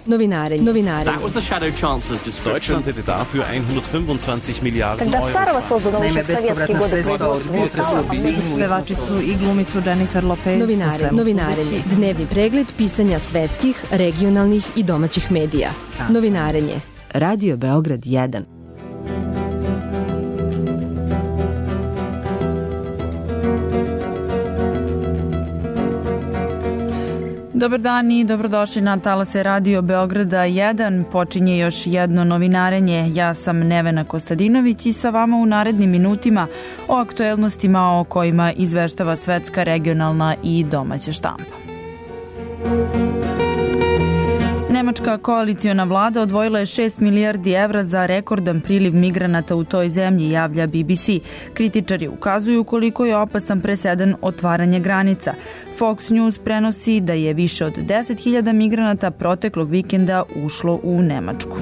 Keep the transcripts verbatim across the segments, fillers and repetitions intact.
Novinarenje. Novinarenje. That was the Shadow Chancellor's description. Deutschland hätte dafür hundertfünfundzwanzig Miliarden Когда Euro. старого создано еще в советские годы производства. Pevačicu i glumicu Jennifer Lopez. Novinare, novinarenje. Dnevni pregled pisanja svetskih, regionalnih i domaćih medija. Novinarenje. Radio Beograd jedan. Dobar dan i dobrodošli na talase Radio Beograda jedan. Počinje još jedno novinarenje. Ja sam Nevena Kostadinović i sa vama u narednim minutima o aktuelnostima o kojima izveštava svetska, regionalna i domaća štampa. Nemačka koaliciona vlada odvojila je šest milijardi evra za rekordan priliv migranata u toj zemlji, javlja B B C. Kritičari ukazuju koliko je opasan presedan otvaranje granica. Fox News prenosi da je više od deset hiljada migranata proteklog vikenda ušlo u Nemačku.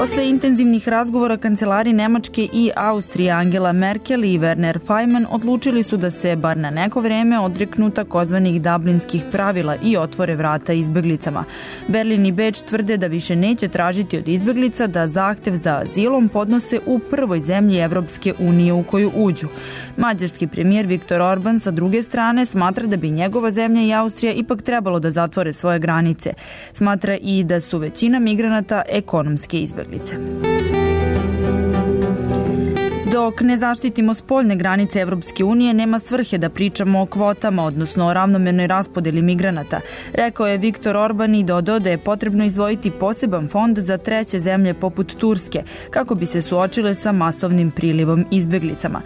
Posle intenzivnih razgovora kancelari Nemačke i Austrije Angela Merkel i Werner Faymann odlučili su da se bar na neko vreme odreknu takozvanih dublinskih pravila i otvore vrata izbeglicama. Berlin i Beč tvrde da više neće tražiti od izbeglica da zahtev za azilom podnose u prvoj zemlji Evropske unije u koju uđu. Mađarski premijer Viktor Orban sa druge strane smatra da bi njegova zemlja i Austrija ipak trebalo da zatvore svoje granice. Smatra i da su većina migranata ekonomske izbeglice. Dok ne zaštitimo spoljne granice Evropske unije, nema svrhe da pričamo o kvotama, odnosno o ravnomernoj raspodeli migranata, rekao je Viktor Orban i dodao da je potrebno izdvojiti poseban fond za treće zemlje poput Turske, kako bi se suočile sa masovnim prilivom izbeglicama.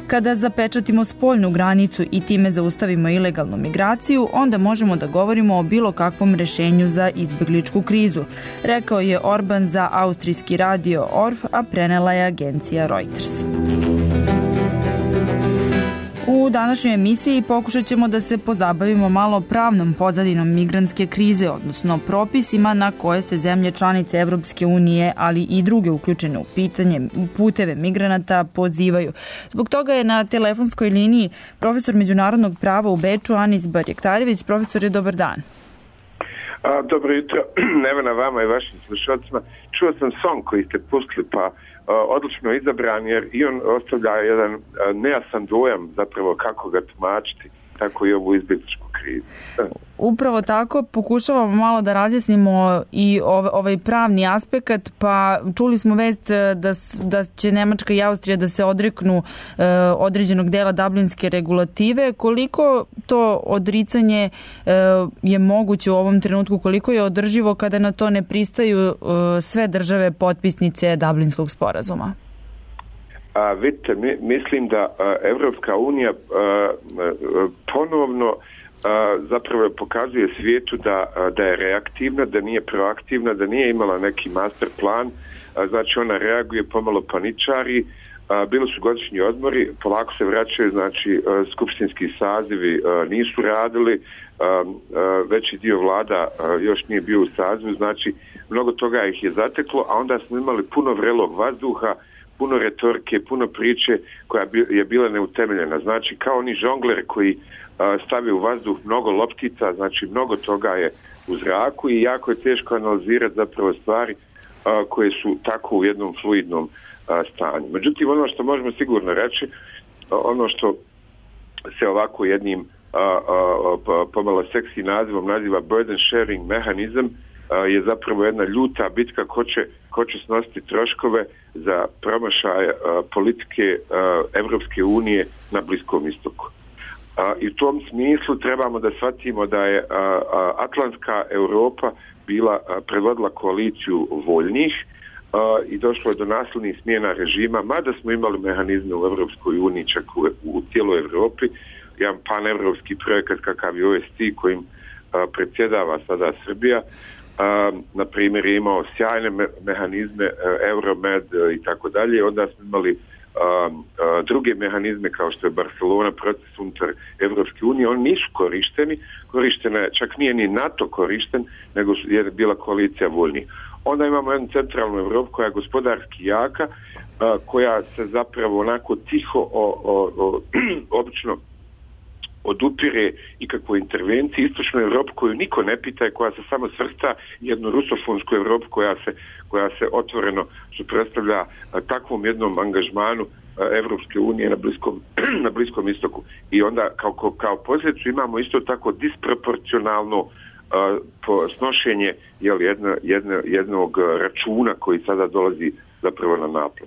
Kada zapečatimo spoljnu granicu i time zaustavimo ilegalnu migraciju, onda možemo da govorimo o bilo kakvom rešenju za izbegličku krizu, rekao je Orban za austrijski radio O R F, a prenela je agencija Reuters. U današnjoj emisiji pokušat ćemo da se pozabavimo malo pravnom pozadinom migrantske krize, odnosno propisima na koje se zemlje članice Evropske unije, ali i druge uključene u pitanje puteve migranata pozivaju. Zbog toga je na telefonskoj liniji profesor međunarodnog prava u Beču Anis Barjektarević. Profesor, je dobar dan. A, dobro jutro, Nevena, vama i vašim slušalcima. Čuo sam song koji ste pustili, pa a, odlično izabran, jer i on ostavlja jedan a, nejasan dojam zapravo kako ga tumačiti, tako i ovu izbjegličku krizu. Upravo tako, pokušavamo malo da razjasnimo i ovaj pravni aspekt, pa čuli smo vest da, da će Nemačka i Austrija da se odreknu e, određenog dela dublinske regulative. Koliko to odricanje e, je moguće u ovom trenutku, koliko je održivo kada na to ne pristaju e, sve države potpisnice Dublinskog sporazuma? A, vidite, mi, mislim da a, Evropska unija a, a, ponovno a, zapravo pokazuje svijetu da, a, da je reaktivna, da nije proaktivna, da nije imala neki master plan, a, znači ona reaguje, pomalo paničari, a, bili su godišnji odmori, polako se vraćaju, znači a, skupštinski sazivi a, nisu radili, a, a, veći dio vlada a, još nije bio u sazivu, znači mnogo toga ih je zateklo, a onda smo imali puno vrelog vazduha, puno retorike, puno priče koja je bila neutemeljena. Znači, kao oni žongler koji a, stavi u vazduh mnogo loptica, znači mnogo toga je u zraku i jako je teško analizirati zapravo stvari a, koje su tako u jednom fluidnom a, stanju. Međutim, ono što možemo sigurno reći, a, ono što se ovako jednim a, a, a, pomalo seksi nazivom naziva burden sharing mehanizam, je zapravo jedna ljuta bitka ko će, ko će snositi troškove za promašaj politike Evropske unije na Bliskom istoku. I u tom smislu trebamo da shvatimo da je Atlantska Europa bila predvodila koaliciju voljnih i došlo je do nasilnih smjena režima, mada smo imali mehanizme u Evropskoj uniji, čak u, u cijeloj Evropi, jedan panevropski projekat kakav je O S T kojim predsjedava sada Srbija. Uh, na primjer je imao sjajne me- mehanizme uh, Euromed uh, i tako dalje. Onda smo imali uh, uh, druge mehanizme kao što je Barcelona, proces unutar Evropske unije. Oni nisu korišteni, korištena je, čak nije ni NATO korišten, nego je bila koalicija voljnih. Onda imamo jednu centralnu Evropu koja je gospodarski jaka, uh, koja se zapravo onako tiho o, o, o, obično odupire ikakvoj intervenciji, istočnu Evropu koju niko ne pita i koja se samo svrsta, jednu rusofonsku Evropu koja se, koja se otvoreno suprotstavlja takvom jednom angažmanu Evropske unije na Bliskom, na Bliskom istoku. I onda kao, kao, kao posljedicu imamo isto tako disproporcionalno uh, po snošenje jel, jedno, jedno, jednog računa koji sada dolazi zapravo na naplatu.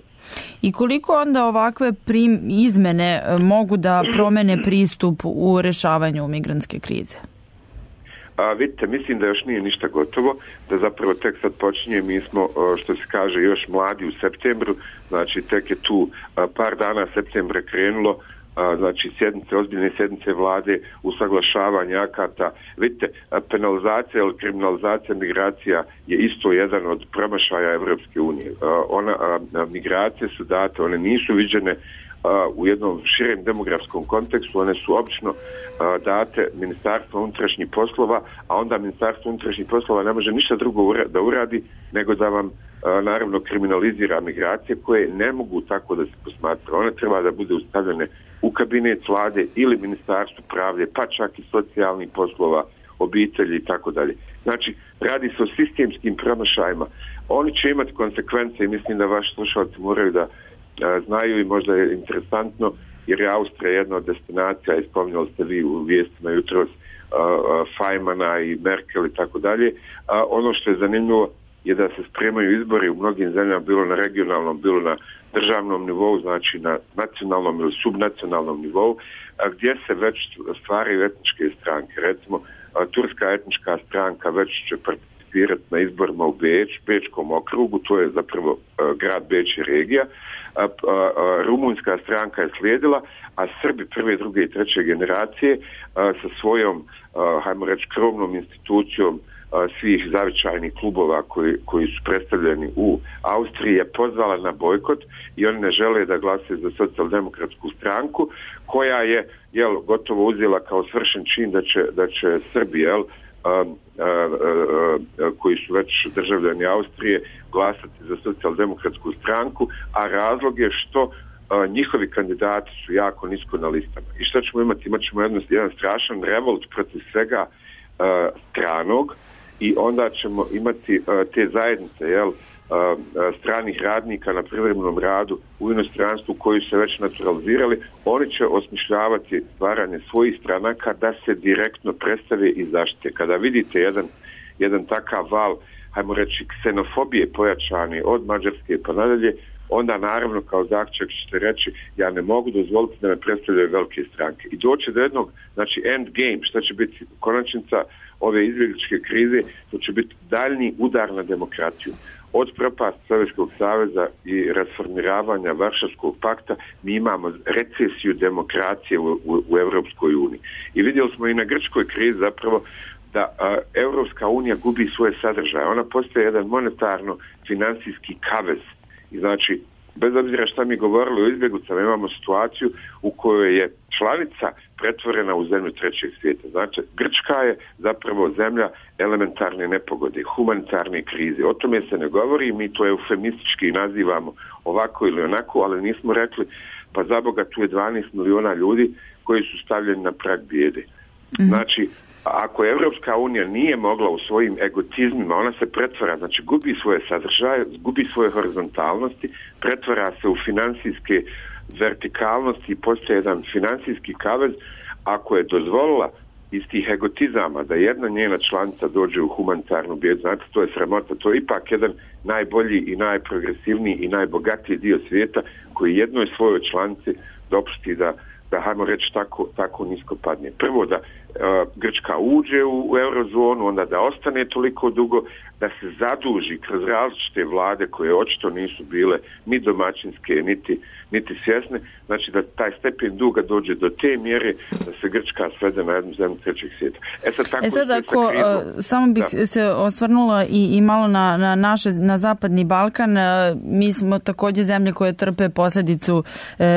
I koliko onda ovakve prim, izmene mogu da promene pristup u rešavanju migrantske krize? A, vidite, mislim da još nije ništa gotovo, da zapravo tek sad počinje, mi smo, što se kaže, još mladi u septembru, znači tek je tu par dana septembra krenulo, znači sjednice, ozbiljne sjednice vlade, usaglašavanje akata. Vidite, penalizacija ili kriminalizacija migracija je isto jedan od promašaja Evropske unije. Ona, migracije su date, one nisu viđene u jednom širem demografskom kontekstu, one su obično date Ministarstvo unutrašnjih poslova, a onda Ministarstvo unutrašnjih poslova ne može ništa drugo da uradi nego da vam naravno kriminalizira migracije koje ne mogu tako da se posmatra. One treba da bude ustavljene u kabinet vlade ili Ministarstvo pravde, pa čak i socijalnih poslova, obitelji i tako dalje. Znači, radi se o sistemskim promašajima. Oni će imati konsekvence i mislim da vaši slušalci moraju da a, znaju i možda je interesantno, jer je Austrija jedna od destinacija, i spominjali ste vi u vijestima jutros, Fajmana i Merkel i tako dalje. Ono što je zanimljivo je da se spremaju izbori u mnogim zemljama, bilo na regionalnom, bilo na državnom nivou, znači na nacionalnom ili subnacionalnom nivou, gdje se već stvaraju etničke stranke. Recimo, turska etnička stranka već će participirati na izborima u Beč, Bečkom okrugu, to je zapravo grad Beč i regija. Rumunjska stranka je slijedila, a Srbi prve, druge i treće generacije sa svojom, hajmo reći, krovnom institucijom svih zavičajnih klubova koji, koji su predstavljeni u Austriji je pozvala na bojkot i oni ne žele da glase za socijaldemokratsku stranku koja je jel, gotovo uzela kao svršen čin da će, da će Srbi jel, a, a, a, a, koji su već državljani Austrije glasati za socijaldemokratsku stranku, a razlog je što a, njihovi kandidati su jako nisko na listama. I što ćemo imati? Imat ćemo jedan, jedan strašan revolt protiv svega a, stranog, i onda ćemo imati uh, te zajednice jel, uh, uh, stranih radnika na privremenom radu u inostranstvu koji se već naturalizirali. Oni će osmišljavati stvaranje svojih stranaka da se direktno predstave i zaštite. Kada vidite jedan, jedan takav val, hajmo reći, ksenofobije pojačani od Mađarske pa nadalje, onda naravno kao zaključak ćete reći ja ne mogu dozvoliti da me predstavljaju velike stranke. I doći do jednog, znači end game, šta će biti konačnica ove izbjegličke krize, to će biti daljnji udar na demokraciju. Od propast Sovjetskog saveza i rasformiravanja Varšavskog pakta mi imamo recesiju demokracije u, u, u Europskoj uniji. I vidjeli smo i na grčkoj krizi zapravo da a, Europska unija gubi svoje sadržaje. Ona postaje jedan monetarno-financijski kavez. I znači, bez obzira šta mi govorili o izbjeglicama, imamo situaciju u kojoj je članica pretvorena u zemlju trećeg svijeta. Znači, Grčka je zapravo zemlja elementarne nepogode, humanitarne krize. O tome se ne govori, mi to eufemistički nazivamo ovako ili onako, ali nismo rekli, pa za Boga tu je dvanaest miliona ljudi koji su stavljeni na prag bijede. Mm-hmm. Znači, ako Evropska unija nije mogla u svojim egotizmima, ona se pretvara, znači gubi svoje sadržaje, gubi svoje horizontalnosti, pretvara se u finansijske vertikalnosti i postaje jedan finansijski kavez. Ako je dozvolila iz tih egotizama da jedna njena članica dođe u humanitarnu bijedu, znate, to je sramota, to je ipak jedan najbolji i najprogresivniji i najbogatiji dio svijeta koji jednoj svojoj članici dopusti da da, hajmo reći, tako, tako nisko padne. Prvo da uh, Grčka uđe u, u eurozonu, onda da ostane toliko dugo, da se zaduži kroz različite vlade koje očito nisu bile ni domaćinske, niti, niti svjesne. Znači da taj stepen duga dođe do te mjere da se Grčka svede na jednu zemlju trećeg svijeta. E sad, tako e sad ako, krizu, samo bih da. se osvrnula i, i malo na, na naše, na zapadni Balkan. Mi smo također zemlje koje trpe posljedicu,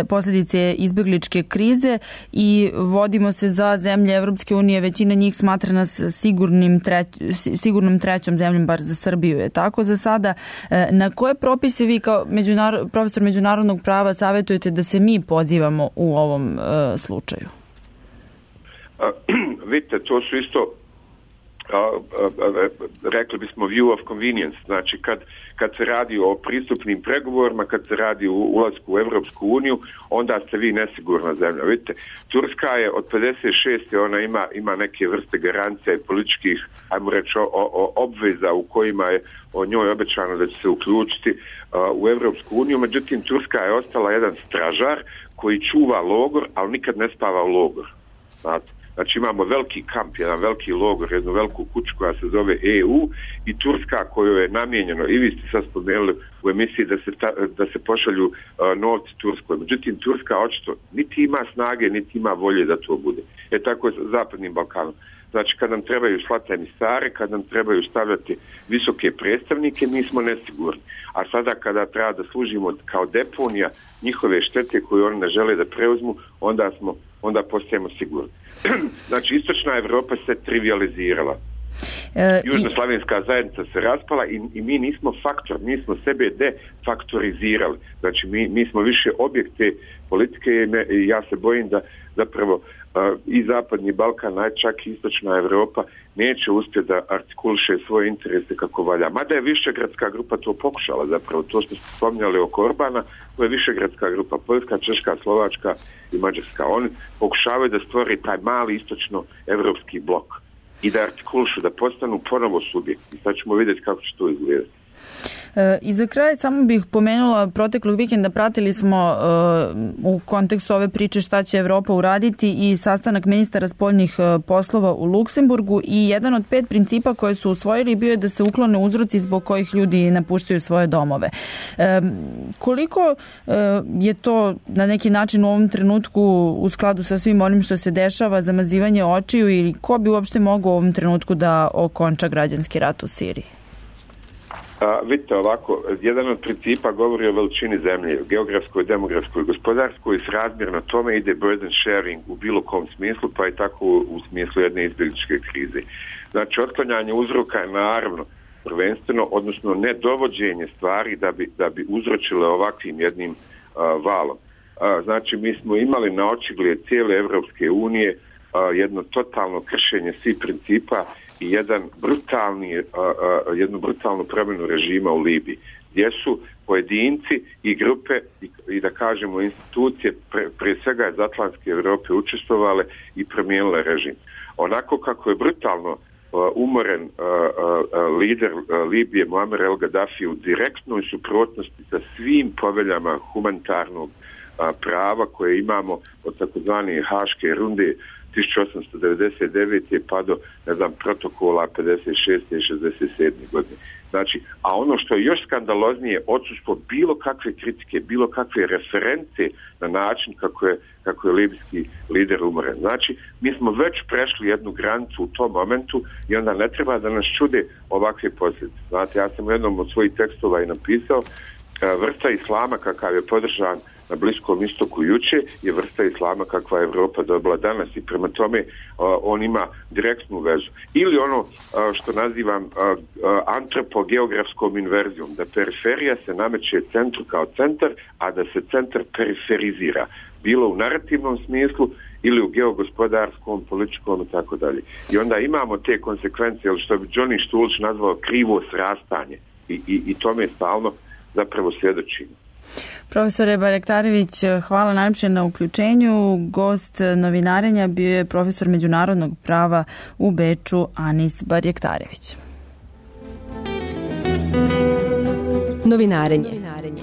posljedice izbjegličke krize i vodimo se za zemlje Evropske unije. Većina njih smatra nas sigurnim treć, sigurnom trećom zemljom, bar za Srbiju je tako za sada. Na koje propise vi kao međunar, profesor međunarodnog prava savjetujete da se mi pozivamo u ovom uh, slučaju? vidite, to su isto A, a, a, rekli bismo view of convenience, znači kad, kad se radi o pristupnim pregovorima, kad se radi o ulasku u Evropsku uniju, onda ste vi nesigurna zemlja. Vidite, Turska je od pedeset šeste ona ima, ima neke vrste garancija i političkih, ajmo reći, o, o, obveza u kojima je o njoj obećano da će se uključiti a, u Evropsku uniju, međutim Turska je ostala jedan stražar koji čuva logor, ali nikad ne spava u logor. Znate? Znači imamo veliki kamp, jedan veliki logor, jednu veliku kuću koja se zove E U i Turska kojoj je namijenjeno, i vi ste sad spomenuli u emisiji da se, ta, da se pošalju uh, novci Turskoj. Međutim, Turska očito niti ima snage, niti ima volje da to bude. E tako je s Zapadnim Balkanom. Znači kad nam trebaju slati emisare, kad nam trebaju stavljati visoke predstavnike, mi smo nesigurni. A sada kada treba da služimo kao deponija njihove štete koje oni ne žele da preuzmu, onda smo onda postajemo sigurni. Znači, istočna Evropa se trivializirala. E, Južnoslavenska zajednica se raspala i, i mi nismo faktor, mi smo sebe defaktorizirali. Znači, mi, mi smo više objekte politike i, me, i ja se bojim da zapravo uh, i Zapadni Balkan, a čak i istočna Evropa neće uspjeti da artikuliše svoje interese kako valja. Mada je Višegradska grupa to pokušala zapravo, to što ste spominjali oko Orbana, to je Višegradska grupa, Poljska, Češka, Slovačka i Mađarska. Oni pokušavaju da stvori taj mali istočno-evropski blok i da artikulišu, da postanu ponovo subjekti. Sad ćemo vidjeti kako će to izgledati. E, I za kraj samo bih pomenula, proteklog vikenda pratili smo e, u kontekstu ove priče šta će Evropa uraditi i sastanak ministara spoljnih e, poslova u Luksemburgu i jedan od pet principa koje su usvojili bio je da se uklone uzroci zbog kojih ljudi napuštaju svoje domove. E, koliko e, je to na neki način u ovom trenutku u skladu sa svim onim što se dešava, zamazivanje očiju ili ko bi uopšte mogao u ovom trenutku da okonča građanski rat u Siriji? A, vidite ovako, jedan od principa govori o veličini zemlje, geografskoj, demografskoj, gospodarskoj i srazmjerno tome ide burden sharing u bilo kom smislu, pa i tako u, u smislu jedne izbjegličke krize. Znači, otklanjanje uzroka je naravno prvenstveno, odnosno nedovođenje stvari da bi, da bi uzročile ovakvim jednim a, valom. A, znači, mi smo imali na očigled cijele Evropske unije a, jedno totalno kršenje svih principa i jedan brutalni, a, a, jednu brutalnu promjenu režima u Libiji, gdje su pojedinci i grupe i, i da kažemo institucije pre, pre svega iz Atlantske Europe učestvovale i promijenile režim. Onako kako je brutalno a, umoren a, a, lider a, Libije Muammar el Gaddafi u direktnoj suprotnosti sa svim poveljama humanitarnog a, prava koje imamo od takozvane Haške runde tisuću osamsto devedeset devete pa do, ne znam, protokola pedeset šeste i šezdeset sedme godine. Znači, a ono što je još skandaloznije, odsustvo bilo kakve kritike, bilo kakve reference na način kako je, kako je libijski lider umoren. Znači, mi smo već prešli jednu granicu u tom momentu i onda ne treba da nas čude ovakve posljedice. Znate, ja sam u jednom od svojih tekstova i napisao, vrsta islama kakav je podržan na Bliskom istoku juče je vrsta islama kakva je Evropa dobila danas i prema tome uh, on ima direktnu vezu. Ili ono uh, što nazivam uh, uh, antropogeografskom inverzijom, da periferija se nameće centru kao centar, a da se centar periferizira. Bilo u narativnom smislu ili u geogospodarskom, političkom i tako dalje. I onda imamo te konsekvencije, što bi Johnny Štulić nazvao krivo srastanje i, i, i tome stalno zapravo svjedočimo. Profesore Barjaktarević, hvala najljepše na uključenju. Gost novinarenja bio je profesor međunarodnog prava u Beču Anis Barjaktarević. Novinarenje.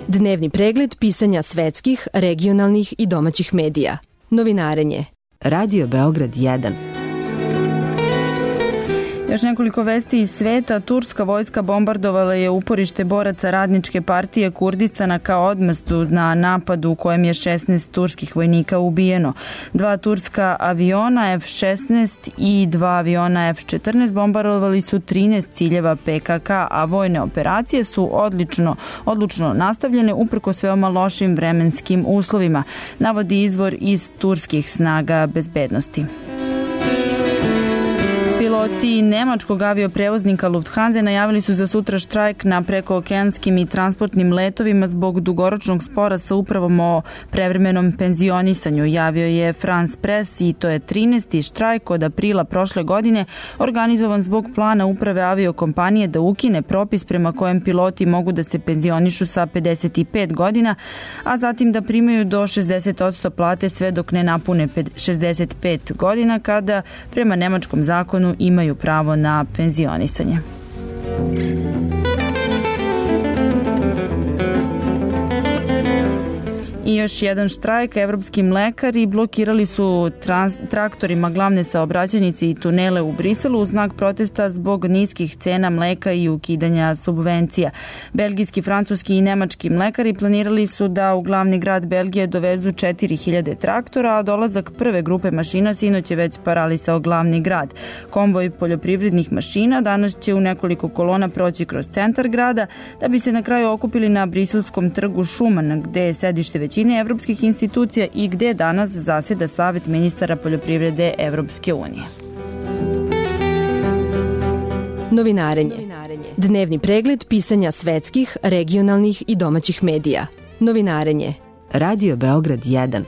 Dnevni pregled pisanja svetskih, regionalnih i domaćih medija. Novinarenje. Radio Beograd jedan. Još nekoliko vesti iz sveta. Turska vojska bombardovala je uporište boraca Radničke partije Kurdistana kao odmstu na napadu u kojem je šesnaest turskih vojnika ubijeno. Dva turska aviona F šesnaest i dva aviona F četrnaest bombardovali su trinaest ciljeva P K K, a vojne operacije su odlično, odlučno nastavljene uprkos veoma lošim vremenskim uslovima, navodi izvor iz turskih snaga bezbednosti. Piloti nemačkog avioprevoznika Lufthansa najavili su za sutra štrajk na prekookeanskim i transportnim letovima zbog dugoročnog spora sa upravom o prevremenom penzionisanju. Javio je France Press i to je trinaesti štrajk od aprila prošle godine, organizovan zbog plana uprave aviokompanije da ukine propis prema kojem piloti mogu da se penzionišu sa pedeset pet godina, a zatim da primaju do šezdeset posto plate sve dok ne napune šezdeset pet godina, kada prema nemačkom zakonu imaju pravo na penzionisanje. I još jedan štrajk. Evropski mlekari blokirali su trans, traktorima glavne saobraćajnice i tunele u Briselu u znak protesta zbog niskih cena mleka i ukidanja subvencija. Belgijski, francuski i nemački mlekari planirali su da u glavni grad Belgije dovezu četiri hiljade traktora, a dolazak prve grupe mašina sinoć je već paralisao glavni grad. Konvoj poljoprivrednih mašina danas će u nekoliko kolona proći kroz centar grada, da bi se na kraju okupili na briselskom trgu Šuman, gde je sedište većine evropskih institucija i gde danas zaseda Savet ministara poljoprivrede Evropske unije. Novinarenje. Dnevni pregled pisanja svetskih, regionalnih i domaćih medija. Novinarenje. Radio Beograd jedan.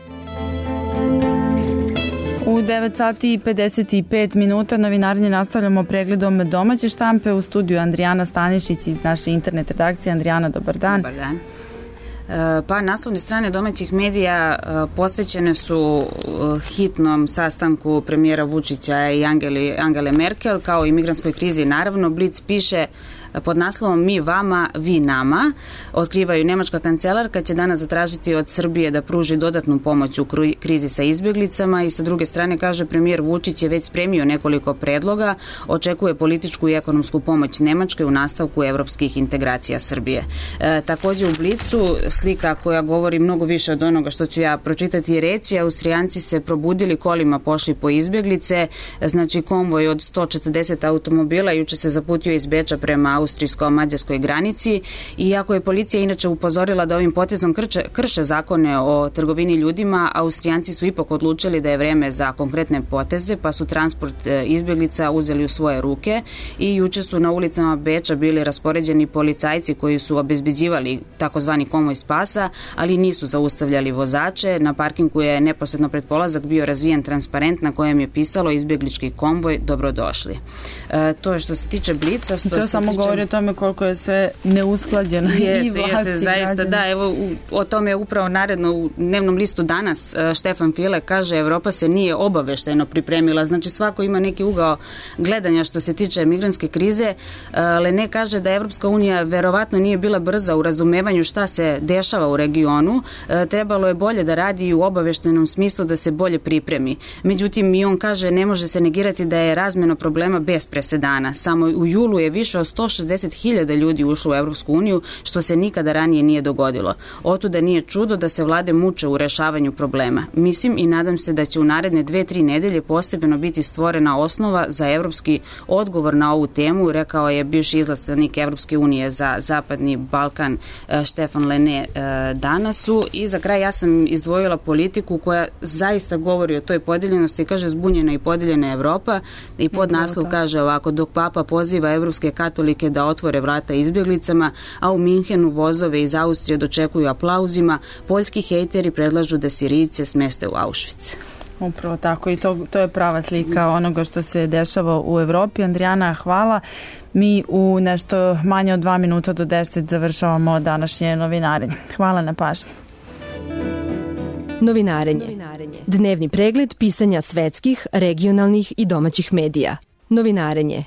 U devet sati i pedeset pet minuta novinarenje nastavljamo pregledom domaće štampe. U studiju Andrijana Stanišić iz naše internet redakcije. Andrijana, dobar dan. Dobar dan. Pa naslovne strane domaćih medija posvećene su hitnom sastanku premijera Vučića i Angeli, Angele Merkel, kao i migrantskoj krizi. Naravno, Blic piše pod naslovom Mi vama, vi nama. Otkrivaju nemačka kancelarka će danas zatražiti od Srbije da pruži dodatnu pomoć u krizi sa izbjeglicama i sa druge strane, kaže, premijer Vučić je već spremio nekoliko predloga, očekuje političku i ekonomsku pomoć Nemačke u nastavku evropskih integracija Srbije. E, takođe u Blicu slika koja govori mnogo više od onoga što ću ja pročitati i reći. Austrijanci se probudili, kolima pošli po izbjeglice, znači konvoj od sto četrdeset automobila juče se zaputio iz Beča prema austrijsko-mađarskoj granici, iako je policija inače upozorila da ovim potezom krše, krše zakone o trgovini ljudima, Austrijanci su ipak odlučili da je vreme za konkretne poteze, pa su transport izbjeglica uzeli u svoje ruke i juče su na ulicama Beča bili raspoređeni policajci koji su obezbeđivali takozvani konvoj spasa, ali nisu zaustavljali vozače. Na parkingu je neposredno pred polazak bio razvijen transparent na kojem je pisalo izbjeglički konvoj, dobrodošli. E, to je što se tiče Blica. Što to se samo tiče... govori o tome koliko je sve neusklađeno. Jeste, jeste, zaista, da, evo, u, o tome je upravo naredno u dnevnom listu danas Štefan File kaže, Evropa se nije obaveštajno pripremila, znači svako ima neki ugao gledanja što se tiče migrantske krize. Lene kaže da Evropska unija verovatno nije bila brza u razumevanju šta se dešava u regionu, trebalo je bolje da radi i u obaveštajnom smislu da se bolje pripremi. Međutim, i on kaže, ne može se negirati da je razmjena problema bez presedana. Samo u julu je više od sto šezdeset hiljada ljudi ušlo u Evropsku uniju, što se nikada ranije nije dogodilo. Otuda nije čudo da se vlade muče u rešavanju problema. Mislim i nadam se da će u naredne dve, tri nedelje postepeno biti stvorena osnova za evropski odgovor na ovu temu, rekao je bivši izlastanik Evropske unije za Zapadni Balkan Štefan Lene danasu. I za kraj ja sam izdvojila politiku koja zaista govori o toj podeljenosti, kaže zbunjena i podeljena Evropa i pod naslov kaže ovako, dok Papa poziva evropske katolike da otvore vrata izbjeglicama, a u Minhenu vozove iz Austrije dočekuju aplauzima, poljski hejteri predlažu da Sirijce smeste u Auschwitz. Upravo tako i to, to je prava slika onoga što se dešava u Evropi. Andrijana, hvala. Mi u nešto manje od dva minuta do deset završavamo današnje novinarenje. Hvala na pažnji. Novinarenje. Dnevni pregled pisanja svetskih, regionalnih i domaćih medija. Novinarenje.